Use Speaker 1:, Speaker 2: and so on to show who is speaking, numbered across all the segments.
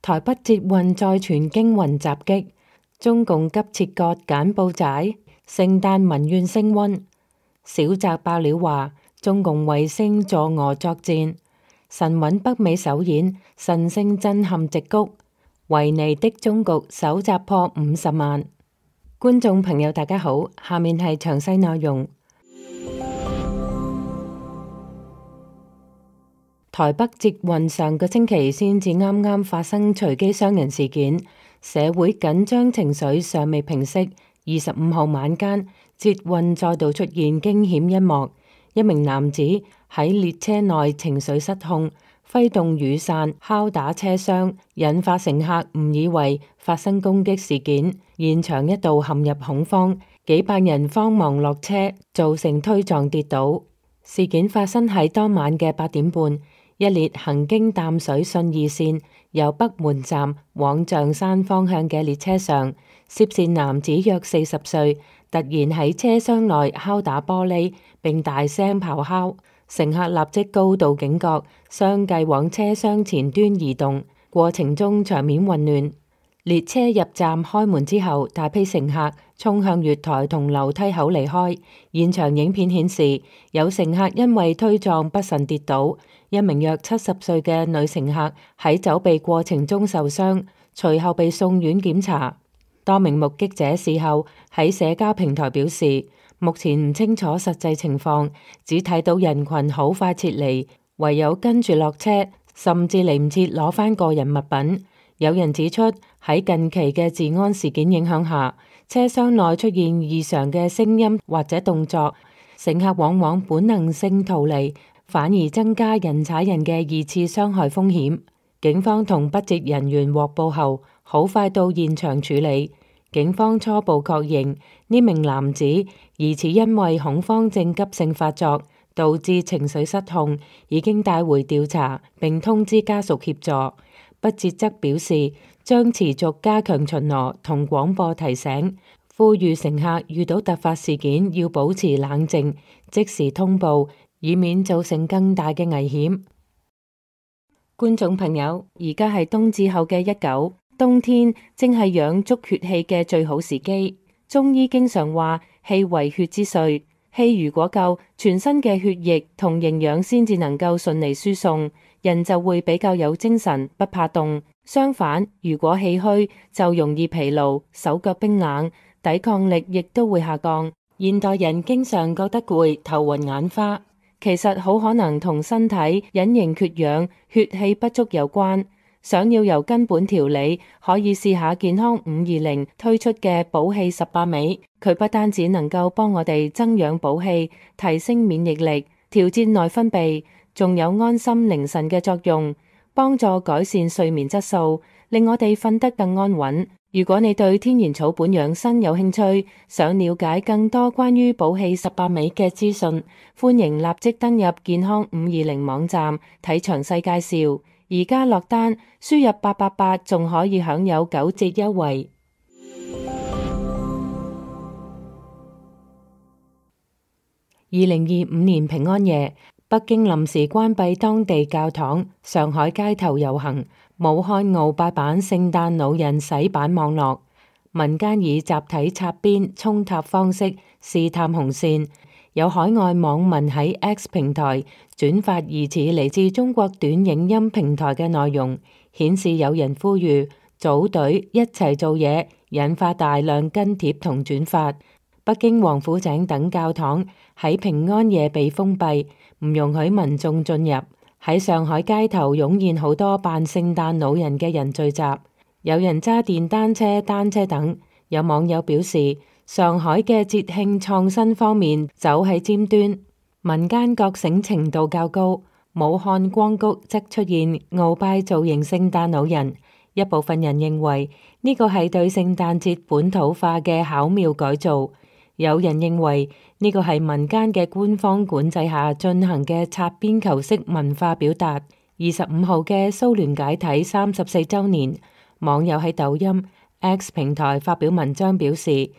Speaker 1: 台北捷運再傳驚魂襲擊，中共急切割柬埔寨，聖誕民怨升溫。小澤爆料話，中共衛星助俄作戰，神韻北美首演，神聖震撼矽谷，維尼的終局首集破50萬。觀眾朋友大家好，下面係詳細內容。台北捷運上個星期先至啱啱發生隨機傷人事件，社會緊張情緒尚未平息。25號晚間，捷運再度出現驚險一幕，一名男子喺列車內情緒失控，揮動雨傘敲打車廂，引發乘客誤以為發生攻擊事件，現場一度陷入恐慌，幾百人慌忙落車，造成推撞跌倒。事件發生喺當晚嘅8點半。一列行經淡水信義線由北門站往象山方向嘅列車上，涉事男子約40歲，突然喺車廂內敲打玻璃並大聲咆哮，乘客立即高度警覺，相繼往車廂前端移動，過程中場面混亂。列車入站開門之後，大批乘客衝向月台同樓梯口離開。現場影片顯示，有乘客因為推撞不慎跌倒，一名約70歲嘅女乘客喺走避過程中受傷，隨後被送院檢查。多名目擊者事後喺社交平台表示，目前唔清楚實際情況，只睇到人群好快撤離，唯有跟住落車，甚至嚟唔切攞返個人物品。有人指出，喺近期嘅治安事件影響下，車廂內出現異常嘅聲音或者動作，乘客往往本能性逃離，反而增加人踩人嘅2次傷害風險。警方同北捷人員獲報後，好快到現場處理。警方初步確認呢名男子疑似因為恐慌症急性發作，導致情緒失控，已經帶回調查並通知家屬協助。北捷則表示，將持續加強巡邏同廣播提醒，呼籲乘客遇到突發事件要保持冷靜，即時通報，以免造成更大嘅危險。觀眾朋友，而家係冬至後嘅19，冬天正係養足血氣嘅最好時機。中醫經常話氣為血之髓，氣如果夠，全身嘅血液同營養先至能夠順利輸送，人就會比較有精神，不怕凍。相反，如果氣虛，就容易疲勞，手腳冰冷，抵抗力亦都會下降。現代人經常覺得攰、頭暈眼花，其實好可能同身體隱形缺氧、血氣不足有關。想要由根本調理，可以試下健康520推出嘅補氣18味，佢不單止能夠幫我哋增氧補氣、提升免疫力、調節內分泌，仲有安心寧神嘅作用，幫助改善睡眠質素，令我哋瞓得更安穩。如果你對天然草本養生有興趣，想了解更多關於補氣18味嘅資訊，歡迎立即登入健康520網站睇詳細介紹。而家落單，輸入888仲可以享有9折優惠。2025年平安夜，北京臨時關閉當地教堂，上海街頭遊行，武漢鰲拜版聖誕老人洗版網絡，民間以集體擦邊衝塔方式試探紅線。有海外網民喺 X 平台轉發疑似嚟自中國短影音平台嘅內容，顯示有人呼籲組隊一齊做嘢，引發大量跟帖同轉發。北京王府井等教堂喺平安夜被封閉，唔容許民眾進入。喺上海街頭湧現好多扮聖誕老人嘅人聚集，有人揸電單車、單車等。有網友表示，上海嘅節慶創新方面走喺尖端，民間覺醒程度較高。武漢光谷則出現鰲拜造型聖誕老人，一部分人認為呢個係對聖誕節本土化嘅巧妙改造，有人認為呢個係民間嘅官方管制下進行嘅擦邊球式文化表達。25號嘅蘇聯解體34週年，網友喺抖音、X 平台發表文章表示，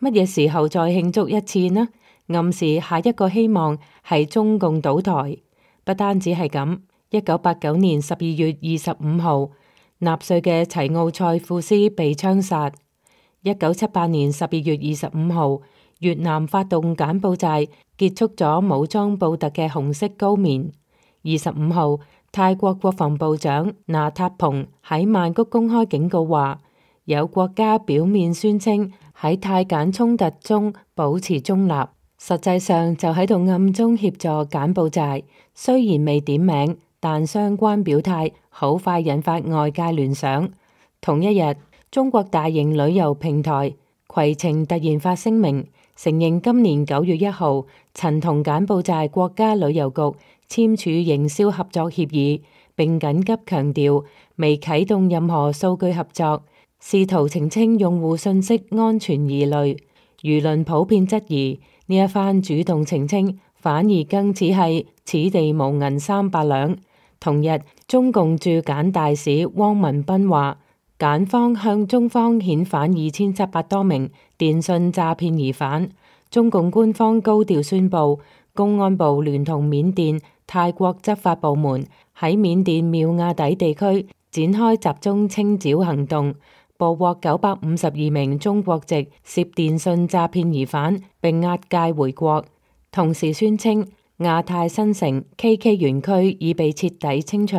Speaker 1: 乜嘢時候再慶祝一次呢？暗示下一個希望係中共倒台。不單止係咁，1989年12月25號，納粹嘅齊奧塞庫斯被槍殺。1978年12月25號，越南發動柬埔寨，結束咗武裝布特嘅紅色高棉。25號，泰國國防部長那塔蓬喺曼谷公開警告話，有國家表面宣稱喺泰柬衝突中保持中立，實際上就喺度暗中協助柬埔寨。雖然未點名，但相關表態好快引發外界聯想。同一日，中國大型旅遊平台攜程突然發聲明，承認今年9月1號曾同柬埔寨國家旅遊局簽署營銷合作協議，並緊急強調未啟動任何數據合作，試圖澄清用戶信息安全疑慮。輿論普遍質疑呢一番主動澄清，反而更似係此地無銀300兩。同日，中共駐柬大使汪文斌話，柬方向中方遣返2700多名電信詐騙疑犯。中共官方高調宣布，公安部聯同緬甸、泰國執法部門喺緬甸妙瓦底地區展開集中清剿行動，捕獲952名中國籍涉電信詐騙疑犯，並押解回國。同時宣稱，亞太新城 KK 園區已被徹底清除。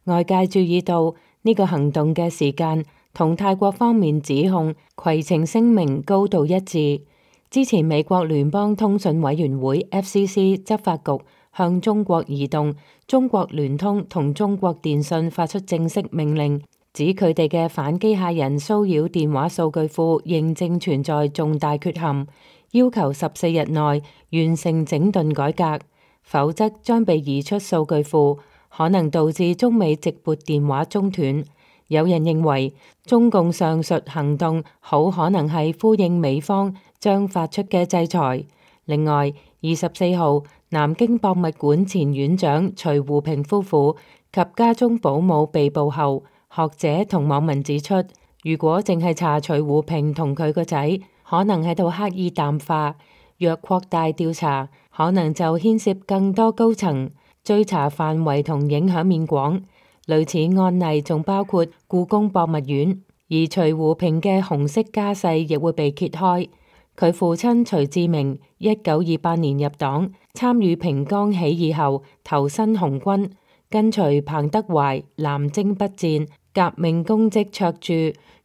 Speaker 1: 外界注意到呢個行動嘅時間同泰國方面指控攜程聲明高度一致。之前美國聯邦通訊委員會 FCC 執法局向中國移動、中國聯通同中國電信發出正式命令，指佢哋嘅反機械人騷擾電話數據庫認證存在重大缺陷，要求14日內完成整頓改革，否則將被移出數據庫，可能導致中美直撥電話中斷。有人認為中共上述行動好可能係呼應美方將發出嘅制裁。另外，24號，南京博物館前院長徐湖平夫婦及家中保姆被捕後，學者同網民指出，如果淨係查徐湖平同佢個仔，可能喺度刻意淡化；若擴大調查，可能就牽涉更多高層，追查範圍同影響面廣。類似案例仲包括故宮博物院，而徐湖平嘅紅色家世亦會被揭開。佢父親徐志明1928年入黨，參與平江起義後投身紅軍，跟隨彭德懷南征北戰，革命功績卓著。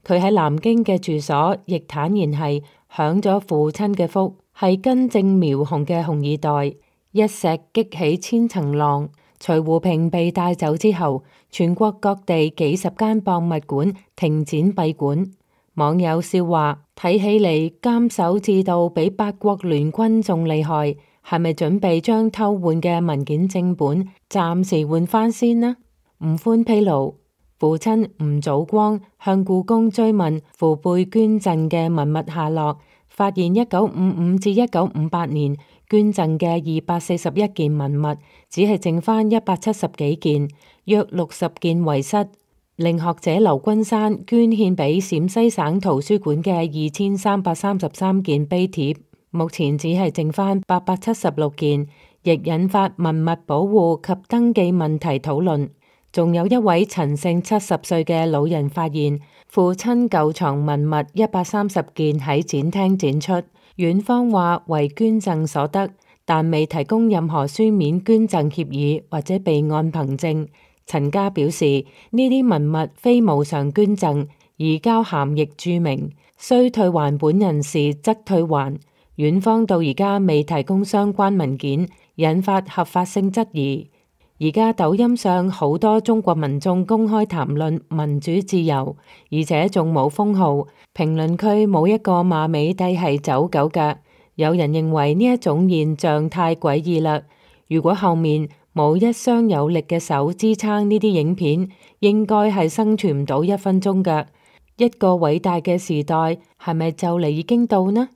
Speaker 1: 佢喺南京嘅住所亦坦言係享咗父親嘅福，係根正苗紅嘅紅二代。一石激起千層浪。徐湖平被帶走之後，全國各地幾十間博物館停展閉館。網友笑話，睇起嚟監守自盜比八國聯軍仲厲害，係咪準備將偷換嘅文件正本暫時換翻先呢？吳歡披露，父親吳祖光向故宮追問父輩捐贈嘅文物下落，發現1955至1958年捐贈嘅241件文物，只係剩翻170幾件，約60件遺失。令學者劉君山捐獻俾陝西省圖書館嘅2333件碑帖，目前只係剩翻876件，亦引發文物保護及登記問題討論。仲有一位陳姓70歲嘅老人發現父親舊藏文物130件喺展廳展出，院方話為捐贈所得，但未提供任何書面捐贈協議或者備案憑證。陳家表示，呢啲文物非無償捐贈，移交函亦註明，需退還本人時則退還。院方到而家未提供相關文件，引發合法性質疑。而家抖音上好多中國民眾公開談論民主自由，而且仲冇封號，評論區冇一個罵美帝係走狗㗎。有人認為呢一種現象太詭異啦。如果後面冇一雙有力嘅手支撐呢啲影片，應該係生存唔到1分鐘㗎。一個偉大嘅時代係咪就嚟已經到呢？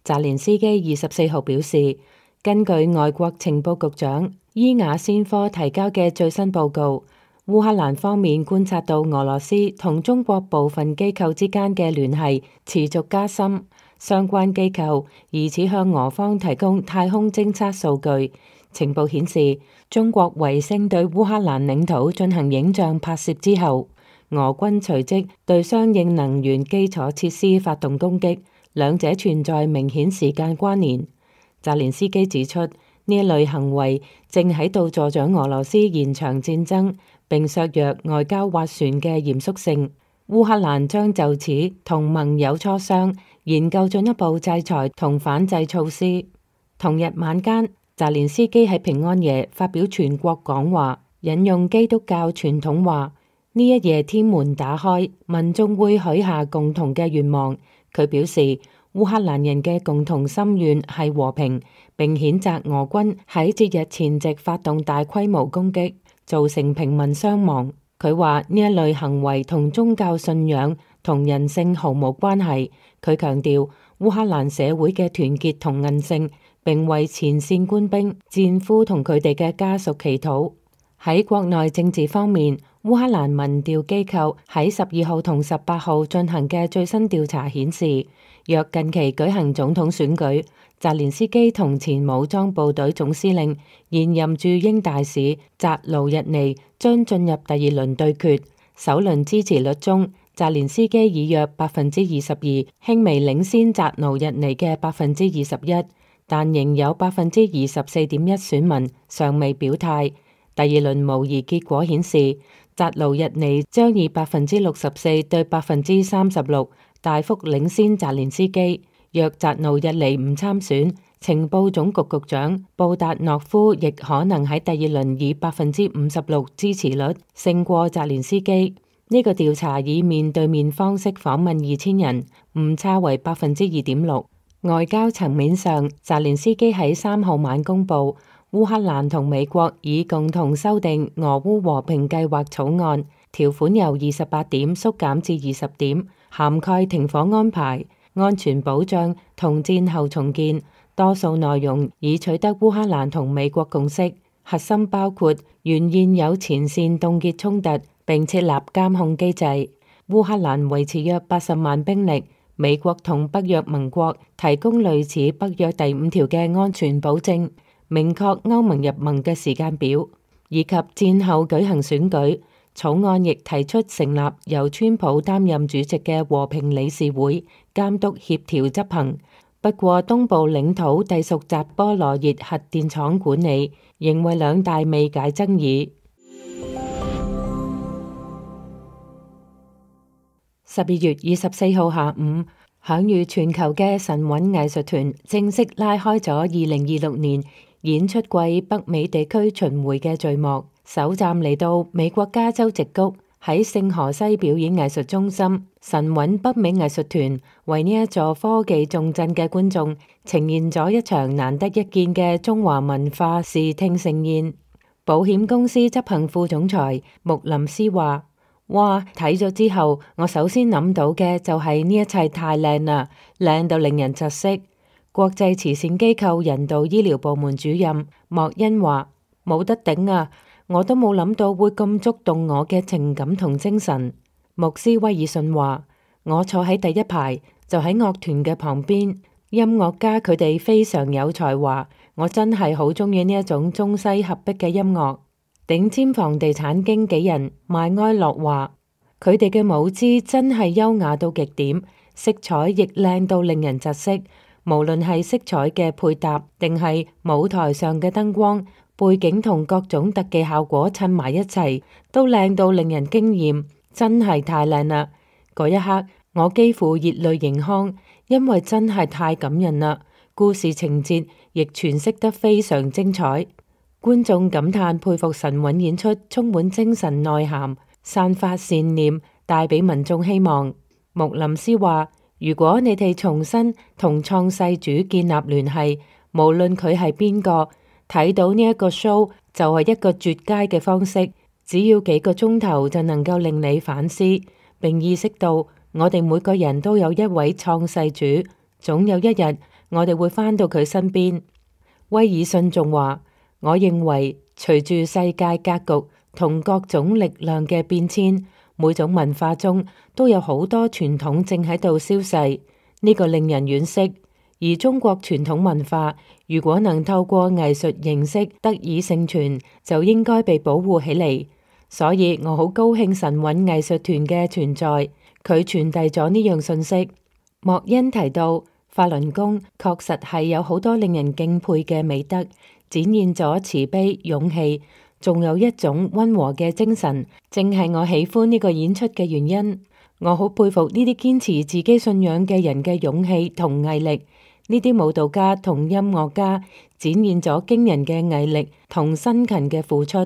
Speaker 1: 澤連斯基24號表示，根據外國情報局長伊雅先科提交嘅最新報告，烏克蘭方面觀察到俄羅斯同中國部分機構之間嘅聯繫持續加深，相關機構疑似向俄方提供太空偵測數據，情報顯示，中國衛星對烏克蘭領土進行影像拍攝之後，俄軍隨即對相應能源基礎設施發動攻擊，兩者存在明顯時間關聯。澤連斯基指出，呢一類行為正喺度助長俄羅斯延長戰爭，並削弱外交斡旋嘅嚴肅性。烏克蘭將就此同盟友磋商，研究進一步制裁同反制措施。同日晚間，澤連斯基喺平安夜發表全國講話，引用基督教傳統話：呢一夜天門打開，民眾會許下共同嘅願望。佢表示，烏克蘭人嘅共同心願係和平，並譴責俄軍喺節日前夕發動大規模攻擊，造成平民傷亡。佢話呢一類行為同宗教信仰同人性毫無關係。佢強調烏克蘭社會嘅團結同韌性，並為前線官兵、戰俘同佢哋嘅家屬祈禱。喺國內政治方面，烏克蘭民調機構喺12號同18號進行嘅最新調查顯示，若近期舉行總統選舉，澤連斯基同前武裝部隊總司令、現任駐英大使扎盧日尼將進入第二輪對決。首輪支持率中，澤連斯基以約22%輕微領先扎盧日尼嘅21%，但仍有24.1%選民尚未表態。第二輪模擬結果顯示，扎盧日尼將以64%對36%大幅領先澤連斯基。若扎盧日尼唔參選，情報總局局長布達諾夫亦可能喺第二輪以56%支持率勝過澤連斯基。呢個調查以面對面方式訪問2000人，誤差為2.6%。外交層面上，澤連斯基喺3號晚公布，烏克蘭同美國已共同修訂俄烏和平計劃草案，條款由28點縮減至20點，涵蓋停火安排、安全保障同戰後重建。多數內容已取得烏克蘭同美國共識，核心包括原現有前線凍結衝突，並設立監控機制。烏克蘭維持約80萬兵力，美國同北約盟國提供類似北約第5條嘅安全保證，明確歐盟入盟嘅時間表，以及戰後舉行選舉。草案亦提出成立由川普擔任主席嘅和平理事會，監督協調執行。不過東部領土隸屬扎波羅熱核電廠管理，仍為兩大未解爭議。12月24號下午，享譽全球嘅神韻藝術團正式拉開咗2026年演出季北美地區巡迴嘅序幕。首站嚟到美國加州矽谷，喺聖荷西表演藝術中心，神韻北美藝術團為呢一座科技重鎮嘅觀眾呈現咗一場難得一見嘅中華文化視聽盛宴。保險公司執行副總裁穆林斯話：哇，睇咗之後，我首先諗到嘅就係呢一切太靚啦，靚到令人窒息。國際慈善機構人道醫療部門主任莫恩話：冇得頂啊！我都冇諗到會咁觸動我嘅情感同精神。穆斯威爾遜話：我坐喺第一排，就喺樂團嘅旁邊，音樂家佢哋非常有才華，我真係好鍾意呢一種中西合璧嘅音樂。頂尖房地產經紀人邁埃洛話：佢哋嘅舞姿真係優雅到極點，色彩亦靚到令人窒息。無論係色彩嘅配搭，定係舞台上嘅燈光、背景同各種特技效果襯埋一齊，都靚到令人驚艷，真係太靚啦！嗰一刻，我幾乎熱淚盈眶，因為真係太感人啦。故事情節亦詮釋得非常精彩，觀眾感嘆佩服神韻演出，充滿精神內涵，散發善念，帶俾民眾希望。穆林斯話：如果你哋重新同創世主建立聯繫，無論佢係邊個，睇到呢一個 show 就係一個絕佳嘅方式，只要幾個鐘頭就能夠令你反思，並意識到我哋每個人都有一位創世主，總有一日我哋會返到佢身邊。威爾遜仲話：我認為隨住世界格局同各種力量嘅變遷，每種文化中都有好多傳統正喺度消逝，呢個令人惋惜。而中國傳統文化如果能透過藝術形式得以承傳，就應該被保護起嚟。所以我好高興神韻藝術團嘅存在，佢傳遞咗呢樣信息。莫恩提到，法輪功確實係有好多令人敬佩嘅美德，展現咗慈悲、勇氣，仲有一種溫和嘅精神，正係我喜歡呢個演出嘅原因。我好佩服呢啲堅持自己信仰嘅人嘅勇氣同毅力。呢啲舞蹈家同音樂家展現咗驚人嘅毅力同辛勤嘅付出，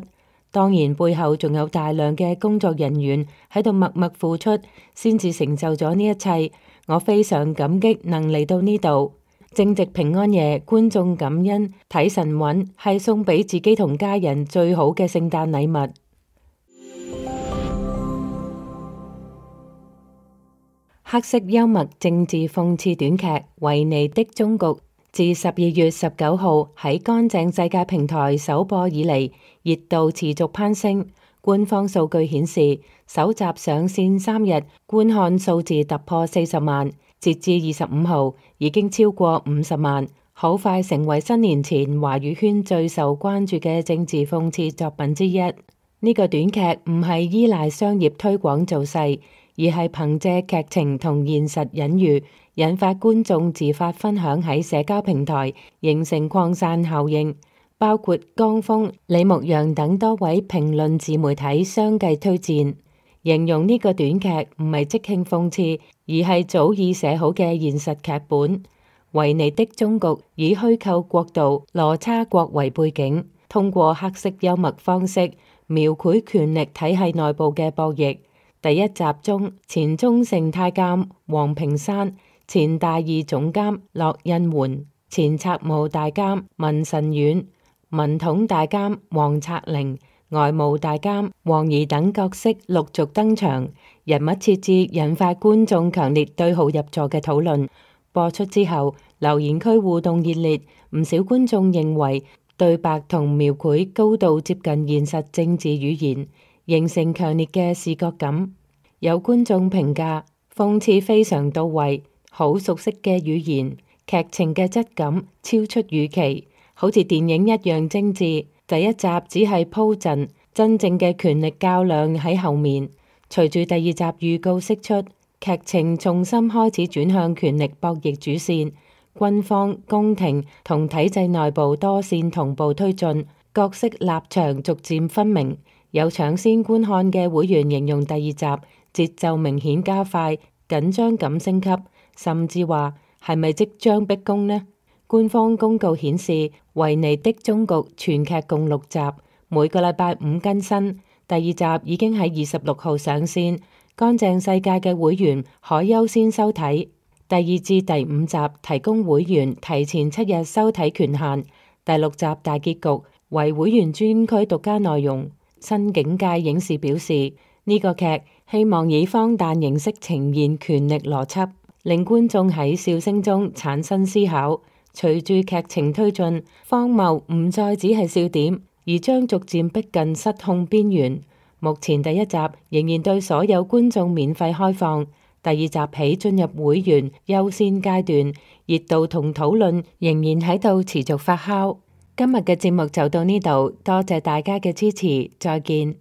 Speaker 1: 當然背後仲有大量嘅工作人員喺度默默付出，先至成就咗呢一切。我非常感激能嚟到呢度。正值平安夜，觀眾感恩睇神韻係送俾自己同家人最好嘅聖誕禮物。黑色幽默政治諷刺短劇《維尼的終局》自12月19號喺乾淨世界平台首播以嚟，熱度持續攀升。官方數據顯示，首集上線3日，觀看數字突破40萬，截至25號已經超過50萬，好快成為新年前華語圈最受關注嘅政治諷刺作品之一。呢個短劇唔係依賴商業推廣造勢，而係憑借劇情同現實隱喻，引發觀眾自發分享喺社交平台，形成擴散效應。包括江峰、李牧陽等多位評論自媒體相繼推薦，形容呢個短劇唔係即興諷刺，而係早已寫好嘅現實劇本。維尼的終局以虛構國度羅差國為背景，通過黑色幽默方式描繪權力體系內部嘅博弈。第一集中，前中盛太監黃平山、前大二總監駱印媛、前策務大監文臣遠、文統大監黃策靈、外務大監黃怡等角色陸續登場，人物設置引發觀眾強烈對號入座嘅討論。播出之後，留言區互動熱烈，唔少觀眾認為對白同描繪高度接近現實政治語言，形成強烈嘅視覺感。有觀眾評價諷刺非常到位，好熟悉嘅語言，劇情嘅質感超出預期，好似電影一樣精緻。第一集只係鋪陣，真正嘅權力較量喺後面。隨住第二集預告釋出，劇情重新開始轉向權力博弈主線，軍方、宮廷同體制內部多線同步推進，角色立場逐漸分明。有搶先觀看嘅會員形容第二集節奏明顯加快，緊張感升級，甚至話係咪即將逼宮呢？官方公告顯示，《維尼的終局》全劇共6集，每個禮拜5更新。第二集已經喺26號上線，乾淨世界嘅會員可優先收睇。第2至第5集提供會員提前7日收睇權限。第6集大結局為會員專區獨家內容。新境界影視表示，呢個劇希望以荒誕形式呈現權力邏輯，令觀眾喺笑聲中產生思考。隨住劇情推進，荒謬唔再只係笑點，而將逐漸逼近失控邊緣。目前第一集仍然對所有觀眾免費開放，第二集起進入會員優先階段，熱度同討論仍然喺度持續發酵。今日嘅節目就到呢度，多謝大家嘅支持，再見。